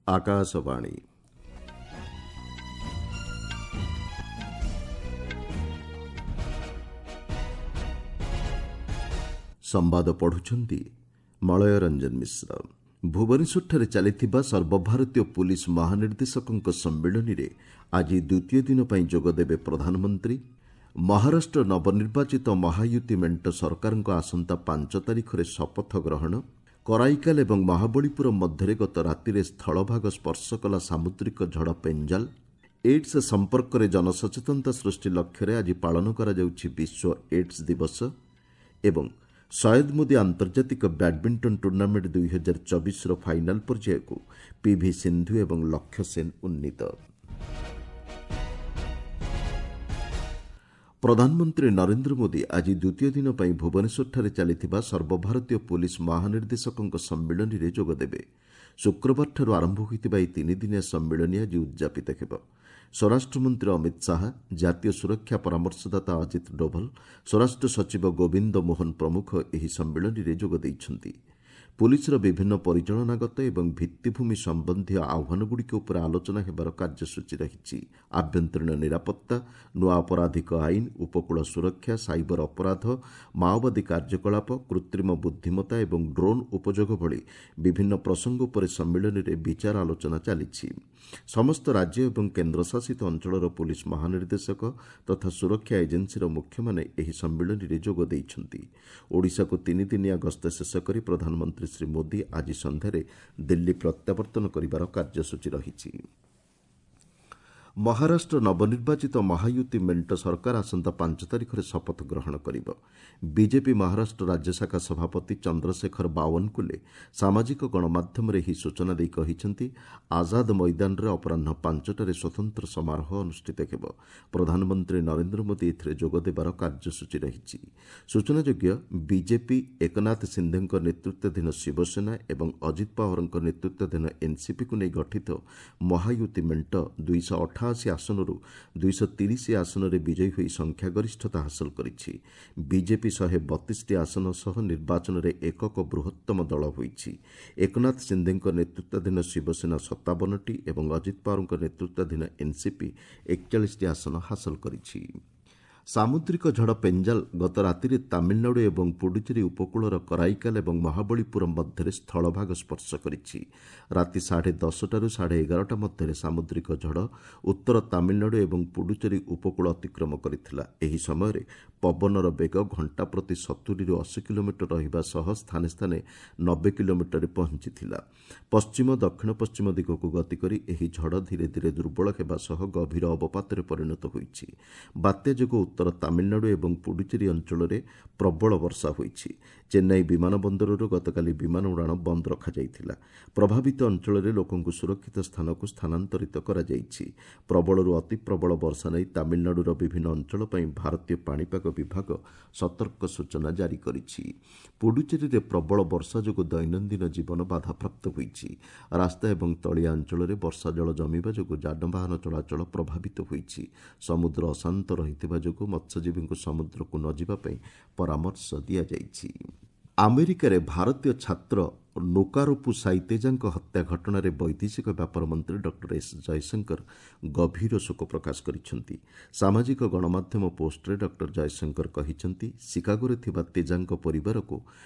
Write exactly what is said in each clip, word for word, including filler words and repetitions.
ଆକାଶବାଣୀ। ସମ୍ବାଦ ପଢୁଛନ୍ତି ମଳୟ ରଞ୍ଜନ ମିଶ୍ର। ଭୁବନେଶ୍ୱରଠାରେ ଚାଲିଥିବା ସର୍ବଭାରତୀୟ ପୁଲିସ ମହାନିର୍ଦ୍ଦେଶକଙ୍କ ସମ୍ମିଳନୀରେ ଆଜି ଦ୍ୱିତୀୟ ଦିନ ପାଇଁ ଯୋଗଦେବେ ପ୍ରଧାନମନ୍ତ୍ରୀ। ମହାରାଷ୍ଟ୍ର ନବନିର୍ବାଚିତ ମହାୟୁତି ମେଣ୍ଟ ସରକାରଙ୍କ ଆସନ୍ତା ପାଞ୍ଚ ତାରିଖରେ ଶପଥ ଗ୍ରହଣ। କରାଇକାଲ ଏବଂ ମହାବଳୀପୁରମ୍ ମଧ୍ୟରେ ଗତ ରାତିରେ ସ୍ଥଳଭାଗ ସ୍ପର୍ଶ କଲା ସାମୁଦ୍ରିକ ଝଡ଼ ପେଞ୍ଜାଲ। ଏଡ୍ସ ସମ୍ପର୍କରେ ଜନସଚେତନତା ସୃଷ୍ଟି ଲକ୍ଷ୍ୟରେ ଆଜି ପାଳନ କରାଯାଉଛି ବିଶ୍ୱ ଏଡ୍ସ ଦିବସ। ଏବଂ ସୟଦ ମୋଦି ଆନ୍ତର୍ଜାତିକ ବ୍ୟାଡ୍ମିଣ୍ଟନ ଟୁର୍ଣ୍ଣାମେଣ୍ଟ ଦୁଇହଜାର ଚବିଶର ଫାଇନାଲ ପର୍ଯ୍ୟାୟକୁ ପିଭି ସିନ୍ଧୁ ଏବଂ ଲକ୍ଷ୍ୟ ସେନ୍ ଉନ୍ନୀତ। ପ୍ରଧାନମନ୍ତ୍ରୀ ନରେନ୍ଦ୍ର ମୋଦି ଆଜି ଦ୍ୱିତୀୟ ଦିନ ପାଇଁ ଭୁବନେଶ୍ୱରଠାରେ ଚାଲିଥିବା ସର୍ବଭାରତୀୟ ପୁଲିସ ମହାନିର୍ଦ୍ଦେଶକଙ୍କ ସମ୍ମିଳନୀରେ ଯୋଗଦେବେ। ଶୁକ୍ରବାରଠାରୁ ଆରମ୍ଭ ହୋଇଥିବା ଏହି ତିନିଦିନିଆ ସମ୍ମିଳନୀ ଆଜି ଉଦ୍ଯାପିତ ହେବ। ସ୍ୱରାଷ୍ଟ୍ରମନ୍ତ୍ରୀ ଅମିତ ଶାହା, ଜାତୀୟ ସୁରକ୍ଷା ପରାମର୍ଶଦାତା ଅଜିତ ଡୋଭଲ, ସ୍ୱରାଷ୍ଟ୍ର ସଚିବ ଗୋବିନ୍ଦ ମୋହନ ପ୍ରମୁଖ ଏହି ସମ୍ମିଳନୀରେ ଯୋଗ ଦେଇଛନ୍ତି। ପୁଲିସର ବିଭିନ୍ନ ପରିଚାଳନାଗତ ଏବଂ ଭିତ୍ତିଭୂମି ସମ୍ବନ୍ଧୀୟ ଆହ୍ୱାନଗୁଡ଼ିକ ଉପରେ ଆଲୋଚନା ହେବାର କାର୍ଯ୍ୟସୂଚୀ ରହିଛି। ଆଭ୍ୟନ୍ତରୀଣ ନିରାପତ୍ତା, ନୂଆ ଅପରାଧିକ ଆଇନ, ଉପକୂଳ ସୁରକ୍ଷା, ସାଇବର ଅପରାଧ, ମାଓବାଦୀ କାର୍ଯ୍ୟକଳାପ, କୃତ୍ରିମ ବୁଦ୍ଧିମତ୍ତା ଏବଂ ଡ୍ରୋନ୍ ଉପଯୋଗ ଭଳି ବିଭିନ୍ନ ପ୍ରସଙ୍ଗ ଉପରେ ସମ୍ମିଳନୀରେ ବିଚାର ଆଲୋଚନା ଚାଲିଛି। ସମସ୍ତ ରାଜ୍ୟ ଏବଂ କେନ୍ଦ୍ରଶାସିତ ଅଞ୍ଚଳର ପୁଲିସ ମହାନିର୍ଦ୍ଦେଶକ ତଥା ସୁରକ୍ଷା ଏଜେନ୍ସିର ମୁଖ୍ୟମାନେ ଏହି ସମ୍ମିଳନୀରେ ଯୋଗ ଦେଇଛନ୍ତି। ଓଡ଼ିଶାକୁ ତିନିଦିନିଆ ଗସ୍ତ ଶେଷ କରି ପ୍ରଧାନମନ୍ତ୍ରୀ ଶ୍ରୀ ମୋଦି ଆଜି ସନ୍ଧ୍ୟାରେ ଦିଲ୍ଲୀ ପ୍ରତ୍ୟାବର୍ତ୍ତନ କରିବାର କାର୍ଯ୍ୟସୂଚୀ ରହିଛି। ମହାରାଷ୍ଟ୍ର ନବନିର୍ବାଚିତ ମହାୟୁତି ମେଣ୍ଟ ସରକାର ଆସନ୍ତା ପାଞ୍ଚ ତାରିଖରେ ଶପଥ ଗ୍ରହଣ କରିବ। ବିଜେପି ମହାରାଷ୍ଟ୍ର ରାଜ୍ୟ ଶାଖା ସଭାପତି ଚନ୍ଦ୍ରଶେଖର ବାୱନକୁଲେ ସାମାଜିକ ଗଣମାଧ୍ୟମରେ ଏହି ସୂଚନା ଦେଇ କହିଛନ୍ତି, ଆଜାଦ ମଇଦାନରେ ଅପରାହ୍ନ ପାଞ୍ଚଟାରେ ସ୍ୱତନ୍ତ୍ର ସମାରୋହ ଅନୁଷ୍ଠିତ ହେବ। ପ୍ରଧାନମନ୍ତ୍ରୀ ନରେନ୍ଦ୍ର ମୋଦି ଏଥିରେ ଯୋଗଦେବାର କାର୍ଯ୍ୟସୂଚୀ ରହିଛି। ସୂଚନାଯୋଗ୍ୟ, ବିଜେପି, ଏକନାଥ ସିନ୍ଧେଙ୍କ ନେତୃତ୍ୱାଧୀନ ଶିବସେନା ଏବଂ ଅଜିତ ପାୱାରଙ୍କ ନେତୃତ୍ୱାଧୀନ ଏନ୍ସିପିକୁ ନେଇ ଗଠିତ ମହାୟୁତି ମେଣ୍ଟ ଦୁଇଶହ ଅଠାଅଶୀ ଆସନରୁ ଦୁଇଶହ ତିରିଶ ଆସନରେ ବିଜୟୀ ହୋଇ ସଂଖ୍ୟାଗରିଷ୍ଠତା ହାସଲ କରିଛି। ବିଜେପି ଶହେ ବତିଶଟି ଆସନ ସହ ନିର୍ବାଚନରେ ଏକକ ବୃହତ୍ତମ ଦଳ ହୋଇଛି। ଏକନାଥ ସିନ୍ଧେଙ୍କ ନେତୃତ୍ୱାଧୀନ ଶିବସେନା ସତାବନଟି ଏବଂ ଅଜିତ ପାୱାରଙ୍କ ନେତୃତ୍ୱାଧୀନ ଏନ୍ସିପି ଏକଚାଳିଶଟି ଆସନ ହାସଲ କରିଛି। ସାମୁଦ୍ରିକ ଝଡ଼ ପେଞ୍ଜାଲ ଗତ ରାତିରେ ତାମିଲନାଡୁ ଏବଂ ପୁଡୁଚେରୀ ଉପକୂଳର କରାଇକାଲ ଏବଂ ମହାବଳୀପୁରମ୍ ମଧ୍ୟରେ ସ୍ଥଳଭାଗ ସ୍ପର୍ଶ କରିଛି। ରାତି ସାଢ଼େ ଦଶଟାରୁ ସାଢ଼େ ଏଗାରଟା ମଧ୍ୟରେ ସାମୁଦ୍ରିକ ଝଡ଼ ଉତ୍ତର ତାମିଲନାଡୁ ଏବଂ ପୁଡୁଚେରୀ ଉପକୂଳ ଅତିକ୍ରମ କରିଥିଲା। ଏହି ସମୟରେ ପବନର ବେଗ ଘଣ୍ଟା ପ୍ରତି ସତୁରିରୁ ଅଶୀ କିଲୋମିଟର ରହିବା ସହ ସ୍ଥାନେ ସ୍ଥାନେ ନବେ କିଲୋମିଟରରେ ପହଞ୍ଚିଥିଲା। ପଶ୍ଚିମ ଦକ୍ଷିଣ ପଶ୍ଚିମ ଦିଗକୁ ଗତି କରି ଏହି ଝଡ଼ ଧୀରେ ଧୀରେ ଦୁର୍ବଳ ହେବା ସହ ଗଭୀର ଅବପାତରେ ପରିଣତ ହୋଇଛି। ବାତ୍ୟା ଯୋଗୁଁ ଉତ୍ତର ତାମିଲନାଡୁ ଏବଂ ପୁଡୁଚେରୀ ଅଞ୍ଚଳରେ ପ୍ରବଳ ବର୍ଷା ହୋଇଛି। ଚେନ୍ନାଇ ବିମାନ ବନ୍ଦରରୁ ଗତକାଲି ବିମାନ ଉଡ଼ାଣ ବନ୍ଦ ରଖାଯାଇଥିଲା। ପ୍ରଭାବିତ ଅଞ୍ଚଳରେ ଲୋକଙ୍କୁ ସୁରକ୍ଷିତ ସ୍ଥାନକୁ ସ୍ଥାନାନ୍ତରିତ କରାଯାଇଛି। ପ୍ରବଳରୁ ଅତି ପ୍ରବଳ ବର୍ଷା ନେଇ ତାମିଲନାଡୁର ବିଭିନ୍ନ ଅଞ୍ଚଳ ପାଇଁ ଭାରତୀୟ ପାଣିପାଗ ବିଭାଗ ସତର୍କ ସୂଚନା ଜାରି କରିଛି। ପୁଡୁଚେରୀରେ ପ୍ରବଳ ବର୍ଷା ଯୋଗୁଁ ଦୈନନ୍ଦିନ ଜୀବନ ବାଧାପ୍ରାପ୍ତ ହୋଇଛି। ରାସ୍ତା ଏବଂ ତଳିଆ ଅଞ୍ଚଳରେ ବର୍ଷା ଜଳ ଜମିବା ଯୋଗୁଁ ଯାନବାହନ ଚଳାଚଳ ପ୍ରଭାବିତ ହୋଇଛି। ସମୁଦ୍ର ଅଶାନ୍ତ ରହିଥିବା ଯୋଗୁଁ ମତ୍ସ୍ୟଜୀବୀଙ୍କୁ ସମୁଦ୍ରକୁ ନ ଯିବା ପାଇଁ ପରାମର୍ଶ ଦିଆଯାଇଛି। ଆମେରିକାରେ ଭାରତୀୟ ଛାତ୍ର ନୋକାରୋପୁ ସାଇତେଜାଙ୍କ ହତ୍ୟା ଘଟଣାରେ ବୈଦେଶିକ ବ୍ୟାପାର ମନ୍ତ୍ରୀ ଡକ୍ଟର ଏସ୍ ଜୟଶଙ୍କର ଗଭୀର ଶୋକ ପ୍ରକାଶ କରିଛନ୍ତି। ସାମାଜିକ ଗଣମାଧ୍ୟମ ପୋଷ୍ଟରେ ଡକ୍ଟର ଜୟଶଙ୍କର କହିଛନ୍ତି, ଶିକାଗୋରେ ଥିବା ତେଜାଙ୍କ ପରିବାରକୁ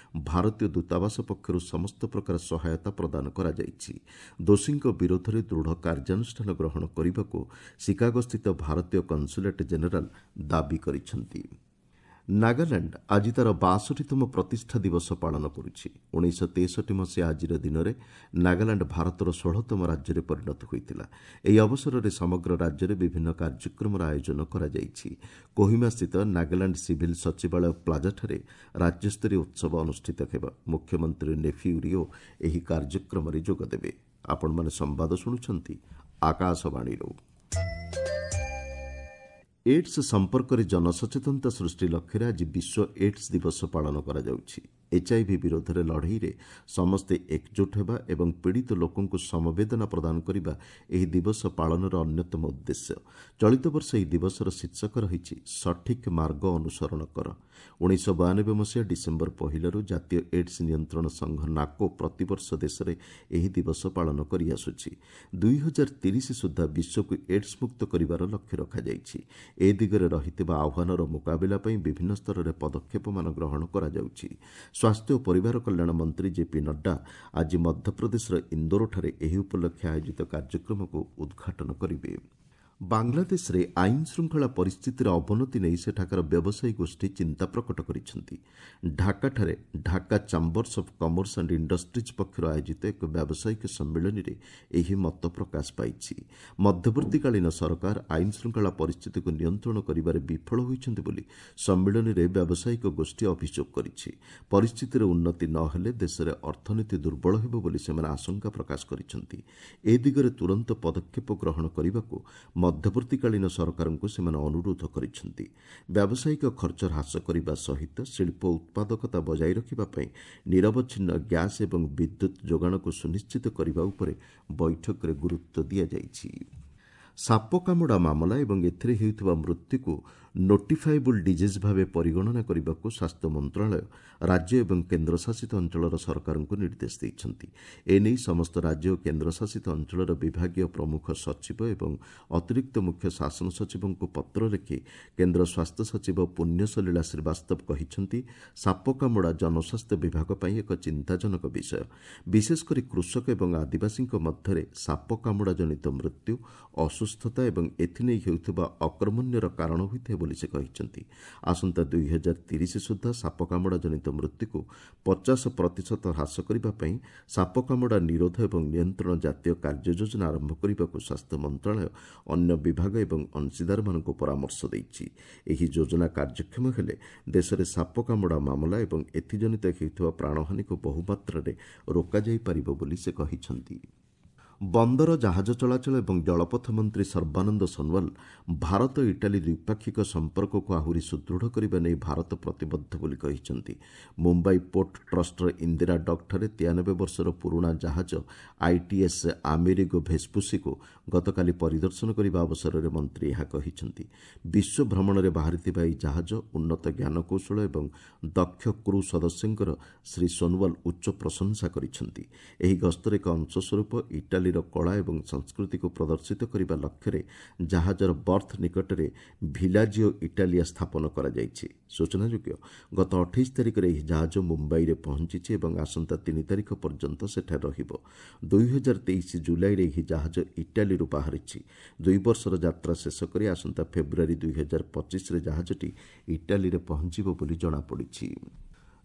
ଭାରତୀୟ ଦୂତାବାସ ପକ୍ଷରୁ ସମସ୍ତ ପ୍ରକାର ସହାୟତା ପ୍ରଦାନ କରାଯାଇଛି। ଦୋଷୀଙ୍କ ବିରୋଧରେ ଦୃଢ଼ କାର୍ଯ୍ୟାନୁଷ୍ଠାନ ଗ୍ରହଣ କରିବାକୁ ଶିକାଗୋସ୍ଥିତ ଭାରତୀୟ କନସୁଲେଟ୍ ଜେନେରାଲ ଦାବି କରିଛନ୍ତି। ନାଗାଲାଣ୍ଡ ଆଜି ତା'ର ବାଷଠିତମ ପ୍ରତିଷ୍ଠା ଦିବସ ପାଳନ କରୁଛି। ଉଣେଇଶହ ତେଷଠି ମସିହା ଆଜିର ଦିନରେ ନାଗାଲାଣ୍ଡ ଭାରତର ଷୋହଳତମ ରାଜ୍ୟରେ ପରିଣତ ହୋଇଥିଲା। ଏହି ଅବସରରେ ସମଗ୍ର ରାଜ୍ୟରେ ବିଭିନ୍ନ କାର୍ଯ୍ୟକ୍ରମର ଆୟୋଜନ କରାଯାଇଛି। କୋହିମାସ୍ଥିତ ନାଗାଲାଣ୍ଡ ସିଭିଲ୍ ସଚିବାଳୟ ପ୍ଲାଜାଠାରେ ରାଜ୍ୟସ୍ତରୀୟ ଉତ୍ସବ ଅନୁଷ୍ଠିତ ହେବ। ମୁଖ୍ୟମନ୍ତ୍ରୀ ନେଫିଉ ରିଓ ଏହି କାର୍ଯ୍ୟକ୍ରମରେ ଯୋଗଦେବେ। ଆପଣମାନେ ସମ୍ବାଦ ଶୁଣୁଛନ୍ତି ଆକାଶବାଣୀରୁ। ଏଡ୍ସ ସମ୍ପର୍କରେ ଜନସଚେତନତା ସୃଷ୍ଟି ଲକ୍ଷ୍ୟରେ ଆଜି ବିଶ୍ୱ ଏଡ୍ସ ଦିବସ ପାଳନ କରାଯାଉଛି। ଏଚ୍ଆଇଭି ବିରୋଧରେ ଲଢ଼େଇରେ ସମସ୍ତେ ଏକଜୁଟ ହେବା ଏବଂ ପୀଡ଼ିତ ଲୋକଙ୍କୁ ସମବେଦନା ପ୍ରଦାନ କରିବା ଏହି ଦିବସ ପାଳନର ଅନ୍ୟତମ ଉଦ୍ଦେଶ୍ୟ। ଚଳିତ ବର୍ଷ ଏହି ଦିବସର ଶୀର୍ଷକ ରହିଛି ସଠିକ୍ ମାର୍ଗ ଅନୁସରଣ କର। ଉଣେଇଶହ ବୟାନବେ ମସିହା ଡିସେମ୍ବର ପହିଲାରୁ ଜାତୀୟ ଏଡ୍ସ ନିୟନ୍ତ୍ରଣ ସଂଘ ନାକୋ ପ୍ରତିବର୍ଷ ଦେଶରେ ଏହି ଦିବସ ପାଳନ କରିଆସୁଛି। ଦୁଇ ହଜାର ତିରିଶ ସୁଦ୍ଧା ବିଶ୍ୱକୁ ଏଡ୍ସ ମୁକ୍ତ କରିବାର ଲକ୍ଷ୍ୟ ରଖାଯାଇଛି। ଏ ଦିଗରେ ରହିଥିବା ଆହ୍ୱାନର ମୁକାବିଲା ପାଇଁ ବିଭିନ୍ନ ସ୍ତରରେ ପଦକ୍ଷେପମାନ ଗ୍ରହଣ କରାଯାଉଛି। ସ୍ୱାସ୍ଥ୍ୟ ଓ ପରିବାର କଲ୍ୟାଣ ମନ୍ତ୍ରୀ ଜେପି ନଡ୍ଡା ଆଜି ମଧ୍ୟପ୍ରଦେଶର ଇନ୍ଦୋରଠାରେ ଏହି ଉପଲକ୍ଷେ ଆୟୋଜିତ କାର୍ଯ୍ୟକ୍ରମକୁ ଉଦ୍ଘାଟନ କରିବେ। ବାଂଲାଦେଶରେ ଆଇନ ଶୃଙ୍ଖଳା ପରିସ୍ଥିତିର ଅବନତି ନେଇ ସେଠାକାର ବ୍ୟବସାୟୀ ଗୋଷ୍ଠୀ ଚିନ୍ତା ପ୍ରକଟ କରିଛନ୍ତି। ଢାକାଠାରେ Dhaka chambers of commerce and industries ପକ୍ଷରୁ ଆୟୋଜିତ ଏକ ବ୍ୟାବସାୟିକ ସମ୍ମିଳନୀରେ ଏହି ମତ ପ୍ରକାଶ ପାଇଛି। ମଧ୍ୟବର୍ତ୍ତୀକାଳୀନ ସରକାର ଆଇନ ଶୃଙ୍ଖଳା ପରିସ୍ଥିତିକୁ ନିୟନ୍ତ୍ରଣ କରିବାରେ ବିଫଳ ହୋଇଛନ୍ତି ବୋଲି ସମ୍ମିଳନୀରେ ବ୍ୟାବସାୟିକ ଗୋଷ୍ଠୀ ଅଭିଯୋଗ କରିଛି। ପରିସ୍ଥିତିରେ ଉନ୍ନତି ନ ହେଲେ ଦେଶରେ ଅର୍ଥନୀତି ଦୁର୍ବଳ ହେବ ବୋଲି ସେମାନେ ଆଶଙ୍କା ପ୍ରକାଶ କରିଛନ୍ତି। ଏ ଦିଗରେ ତୁରନ୍ତ ପଦକ୍ଷେପ ଗ୍ରହଣ କରିବାକୁ ମଧ୍ୟବର୍ତ୍ତୀକାଳୀନ ସରକାରଙ୍କୁ ସେମାନେ ଅନୁରୋଧ କରିଛନ୍ତି। ବ୍ୟାବସାୟିକ ଖର୍ଚ୍ଚ ହ୍ରାସ କରିବା ସହିତ ଶିଳ୍ପ ଉତ୍ପାଦକତା ବଜାୟ ରଖିବା ପାଇଁ ନିରବଚ୍ଛିନ୍ନ ଗ୍ୟାସ୍ ଏବଂ ବିଦ୍ୟୁତ୍ ଯୋଗାଣକୁ ସୁନିଶ୍ଚିତ କରିବା ଉପରେ ବୈଠକରେ ଗୁରୁତ୍ୱ ଦିଆଯାଇଛି। ସାପ କାମୁଡ଼ା ମାମଲା ଏବଂ ଏଥିରେ ହେଉଥିବା ମୃତ୍ୟୁକୁ ନୋଟିଫାଏବୁଲ୍ ଡିଜିଜ୍ ଭାବେ ପରିଗଣନା କରିବାକୁ ସ୍ୱାସ୍ଥ୍ୟ ମନ୍ତ୍ରଣାଳୟ ରାଜ୍ୟ ଏବଂ କେନ୍ଦ୍ରଶାସିତ ଅଞ୍ଚଳର ସରକାରଙ୍କୁ ନିର୍ଦ୍ଦେଶ ଦେଇଛନ୍ତି। ଏନେଇ ସମସ୍ତ ରାଜ୍ୟ ଓ କେନ୍ଦ୍ରଶାସିତ ଅଞ୍ଚଳର ବିଭାଗୀୟ ପ୍ରମୁଖ ସଚିବ ଏବଂ ଅତିରିକ୍ତ ମୁଖ୍ୟ ଶାସନ ସଚିବଙ୍କୁ ପତ୍ର ଲେଖି କେନ୍ଦ୍ର ସ୍ୱାସ୍ଥ୍ୟ ସଚିବ ପୁଣ୍ୟସଲୀଳା ଶ୍ରୀବାସ୍ତବ କହିଛନ୍ତି, ସାପ କାମୁଡ଼ା ଜନସ୍ୱାସ୍ଥ୍ୟ ବିଭାଗ ପାଇଁ ଏକ ଚିନ୍ତାଜନକ ବିଷୟ। ବିଶେଷକରି କୃଷକ ଏବଂ ଆଦିବାସୀଙ୍କ ମଧ୍ୟରେ ସାପ କାମୁଡ଼ା ଜନିତ ମୃତ୍ୟୁ, ଅସୁସ୍ଥତା ଏବଂ ଏଥିନେଇ ହେଉଥିବା ଅକର୍ମଣ୍ୟର କାରଣ ହୋଇଥାଏ ବୋଲି ସେ କହିଛନ୍ତି। ଆସନ୍ତା ଦୁଇ ହଜାର ତିରିଶ ସୁଦ୍ଧା ସାପ କାମୁଡ଼ା ଜନିତ ମୃତ୍ୟୁକୁ ପଚାଶ ପ୍ରତିଶତ ହ୍ରାସ କରିବା ପାଇଁ ସାପ କାମୁଡ଼ା ନିରୋଧ ଏବଂ ନିୟନ୍ତ୍ରଣ ଜାତୀୟ କାର୍ଯ୍ୟ ଯୋଜନା ଆରମ୍ଭ କରିବାକୁ ସ୍ୱାସ୍ଥ୍ୟ ମନ୍ତ୍ରଣାଳୟ ଅନ୍ୟ ବିଭାଗ ଏବଂ ଅଂଶୀଦାରମାନଙ୍କୁ ପରାମର୍ଶ ଦେଇଛି। ଏହି ଯୋଜନା କାର୍ଯ୍ୟକ୍ଷମ ହେଲେ ଦେଶରେ ସାପ କାମୁଡ଼ା ମାମଲା ଏବଂ ଏଥିଜନିତ ହେଉଥିବା ପ୍ରାଣହାନିକୁ ବହୁମାତ୍ରାରେ ରୋକାଯାଇପାରିବ ବୋଲି ସେ କହିଛନ୍ତି। ବନ୍ଦର, ଜାହାଜ ଚଳାଚଳ ଏବଂ ଜଳପଥ ମନ୍ତ୍ରୀ ସର୍ବାନନ୍ଦ ସୋନୱାଲ ଭାରତ ଇଟାଲୀ ଦ୍ୱିପାକ୍ଷିକ ସମ୍ପର୍କକୁ ଆହୁରି ସୁଦୃଢ଼ କରିବା ନେଇ ଭାରତ ପ୍ରତିବଦ୍ଧ ବୋଲି କହିଛନ୍ତି। ମୁମ୍ବାଇ ପୋର୍ଟ ଟ୍ରଷ୍ଟର ଇନ୍ଦିରା ଡକ୍ଠାରେ ତେୟାନବେ ବର୍ଷର ପୁରୁଣା ଜାହାଜ ଆଇଟିଏସ୍ ଆମେରିଗୋ ଭେସ୍ପୁସିକୁ ଗତକାଲି ପରିଦର୍ଶନ କରିବା ଅବସରରେ ମନ୍ତ୍ରୀ ଏହା କହିଛନ୍ତି। ବିଶ୍ୱ ଭ୍ରମଣରେ ବାହାରିଥିବା ଏହି ଜାହାଜ ଉନ୍ନତ ଜ୍ଞାନକୌଶଳ ଏବଂ ଦକ୍ଷ କ୍ରୁ ସଦସ୍ୟଙ୍କର ଶ୍ରୀ ସୋନୱାଲ ଉଚ୍ଚ ପ୍ରଶଂସା କରିଛନ୍ତି। ଏହି ଗସ୍ତର ଏକ ଅଂଶସ୍ୱରୂପ ଇଟାଲୀ କଳା ଏବଂ ସଂସ୍କୃତିକୁ ପ୍ରଦର୍ଶିତ କରିବା ଲକ୍ଷ୍ୟରେ ଜାହାଜର ବର୍ଥ ନିକଟରେ ଭିଲାଜିଓ ଇଟାଲିଆ ସ୍ଥାପନ କରାଯାଇଛି। ସୂଚନାଯୋଗ୍ୟ, ଗତ ଅଠେଇଶ ତାରିଖରେ ଏହି ଜାହାଜ ମୁମ୍ବାଇରେ ପହଞ୍ଚିଛି ଏବଂ ଆସନ୍ତା ତିନି ତାରିଖ ପର୍ଯ୍ୟନ୍ତ ସେଠାରେ ରହିବ। ଦୁଇ ହଜାର ତେଇଶ ଜୁଲାଇରେ ଏହି ଜାହାଜ ଇଟାଲୀରୁ ବାହାରିଛି। ଦୁଇ ବର୍ଷର ଯାତ୍ରା ଶେଷ କରି ଆସନ୍ତା ଫେବୃଆରୀ ଦୁଇ ହଜାର ପଚିଶରେ ଜାହାଜଟି ଇଟାଲୀରେ ପହଞ୍ଚିବ ବୋଲି ଜଣାପଡ଼ିଛି।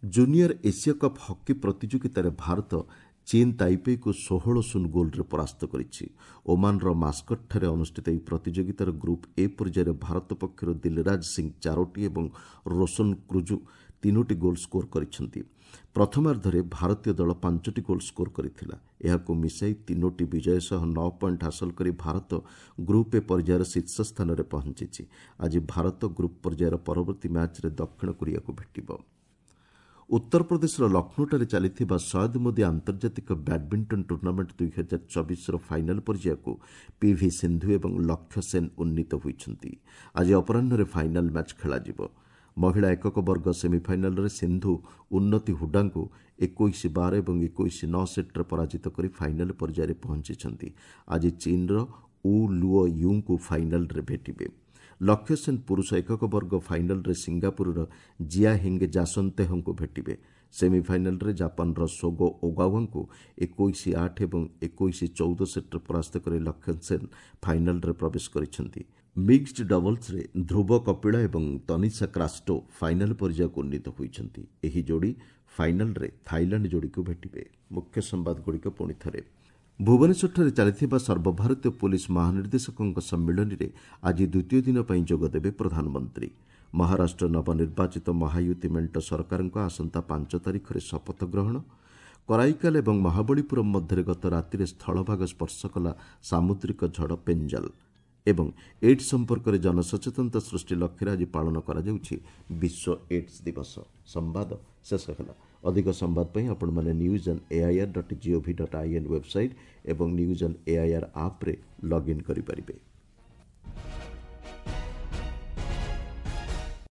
ଜୁନିୟର ଏସିଆ କପ୍ ହକି ପ୍ରତିଯୋଗିତାରେ ଭାରତ ଚୀନ୍ ତାଇପେଇକୁ ଷୋହଳ ଶୂନ ଗୋଲ୍ରେ ପରାସ୍ତ କରିଛି। ଓମାନର ମାସ୍କଟଠାରେ ଅନୁଷ୍ଠିତ ଏହି ପ୍ରତିଯୋଗିତାର ଗ୍ରୁପ୍ ଏ ପର୍ଯ୍ୟାୟରେ ଭାରତ ପକ୍ଷରୁ ଦିଲରାଜ ସିଂ ଚାରୋଟି ଏବଂ ରୋଶନ କ୍ରୁଜୁ ତିନୋଟି ଗୋଲ୍ ସ୍କୋର କରିଛନ୍ତି। ପ୍ରଥମାର୍ଦ୍ଧରେ ଭାରତୀୟ ଦଳ ପାଞ୍ଚଟି ଗୋଲ୍ ସ୍କୋର କରିଥିଲା। ଏହାକୁ ମିଶାଇ ତିନୋଟି ବିଜୟ ସହ ନଅ ପଏଣ୍ଟ ହାସଲ କରି ଭାରତ ଗ୍ରୁପ୍ ଏ ପର୍ଯ୍ୟାୟର ଶୀର୍ଷ ସ୍ଥାନରେ ପହଞ୍ଚିଛି। ଆଜି ଭାରତ ଗ୍ରୁପ୍ ପର୍ଯ୍ୟାୟର ପରବର୍ତ୍ତୀ ମ୍ୟାଚ୍ରେ ଦକ୍ଷିଣ କୋରିଆକୁ ଭେଟିବ। ଉତ୍ତରପ୍ରଦେଶର ଲକ୍ଷ୍ନୌଠାରେ ଚାଲିଥିବା ସୟଦ ମୋଦି ଆନ୍ତର୍ଜାତିକ ବ୍ୟାଡମିଣ୍ଟନ ଟୁର୍ଣ୍ଣାମେଣ୍ଟ ଦୁଇ ହଜାର ଚବିଶର ଫାଇନାଲ ପର୍ଯ୍ୟାୟକୁ ପିଭି ସିନ୍ଧୁ ଏବଂ ଲକ୍ଷ୍ୟ ସେନ୍ ଉନ୍ନୀତ ହୋଇଛନ୍ତି। ଆଜି ଅପରାହ୍ନରେ ଫାଇନାଲ ମ୍ୟାଚ୍ ଖେଳାଯିବ। ମହିଳା ଏକକ ବର୍ଗ ସେମିଫାଇନାଲରେ ସିନ୍ଧୁ ଉନ୍ନତି ହୁଡାଙ୍କୁ ଏକୋଇଶ ବାର ଏବଂ ଏକୋଇଶ ନଅ ସେଟ୍ରେ ପରାଜିତ କରି ଫାଇନାଲ ପର୍ଯ୍ୟାୟରେ ପହଞ୍ଚିଛନ୍ତି। ଆଜି ଚୀନ୍ର ଉ ଲୁଓ ୟୁଙ୍କୁ ଫାଇନାଲରେ ଭେଟିବେ। ଲକ୍ଷ୍ୟ ସେନ୍ ପୁରୁଷ ଏକକ ବର୍ଗ ଫାଇନାଲରେ ସିଙ୍ଗାପୁରର ଜିଆ ହିଙ୍ଗ ଜାସନ୍ତେହଙ୍କୁ ଭେଟିବେ। ସେମିଫାଇନାଲରେ ଜାପାନର ସୋଗୋ ଓଗାୱାଙ୍କୁ ଏକୋଇଶ ଆଠ ଏବଂ ଏକୋଇଶ ଚଉଦ ସେଟ୍ରେ ପରାସ୍ତ କରି ଲକ୍ଷ୍ୟ ସେନ୍ ଫାଇନାଲରେ ପ୍ରବେଶ କରିଛନ୍ତି। ମିକ୍ସଡ ଡବଲ୍ସରେ ଧ୍ରୁବ କପିଳା ଏବଂ ତନିଷା କ୍ରାଷ୍ଟୋ ଫାଇନାଲ ପର୍ଯ୍ୟାୟକୁ ଉନ୍ନୀତ ହୋଇଛନ୍ତି। ଏହି ଯୋଡ଼ି ଫାଇନାଲରେ ଥାଇଲାଣ୍ଡ ଯୋଡ଼ିକୁ ଭେଟିବେ। ମୁଖ୍ୟ ସମ୍ବାଦଗୁଡ଼ିକ ପୁଣି ଥରେ। ଭୁବନେଶ୍ୱରଠାରେ ଚାଲିଥିବା ସର୍ବଭାରତୀୟ ପୋଲିସ ମହାନିର୍ଦ୍ଦେଶକଙ୍କ ସମ୍ମିଳନୀରେ ଆଜି ଦ୍ୱିତୀୟ ଦିନ ପାଇଁ ଯୋଗଦେବେ ପ୍ରଧାନମନ୍ତ୍ରୀ। ମହାରାଷ୍ଟ୍ର ନବନିର୍ବାଚିତ ମହାୟୁତି ମେଣ୍ଟ ସରକାରଙ୍କ ଆସନ୍ତା ପାଞ୍ଚ ତାରିଖରେ ଶପଥ ଗ୍ରହଣ। କରାଇକାଲ ଏବଂ ମହାବଳୀପୁରମ୍ ମଧ୍ୟରେ ଗତ ରାତିରେ ସ୍ଥଳଭାଗ ସ୍ପର୍ଶ କଲା ସାମୁଦ୍ରିକ ଝଡ଼ ପେଞ୍ଜଲ। ଏବଂ ଏଡ୍ସ ସମ୍ପର୍କରେ ଜନସଚେତନତା ସୃଷ୍ଟି ଲକ୍ଷ୍ୟରେ ଆଜି ପାଳନ କରାଯାଉଛି ବିଶ୍ୱ ଏଡ୍ସ ଦିବସ। ସମ୍ବାଦ ଶେଷ ହେଲା। ଅଧିକ ସମ୍ବାଦ ପାଇଁ ଆପଣମାନେ news on AIR dot gov dot in website ଏବଂ ନ୍ୟୁଜ୍ ଅନ୍ ଏଆଇଆର୍ ଆପ୍ରେ ଲଗ୍ଇନ୍ କରିପାରିବେ।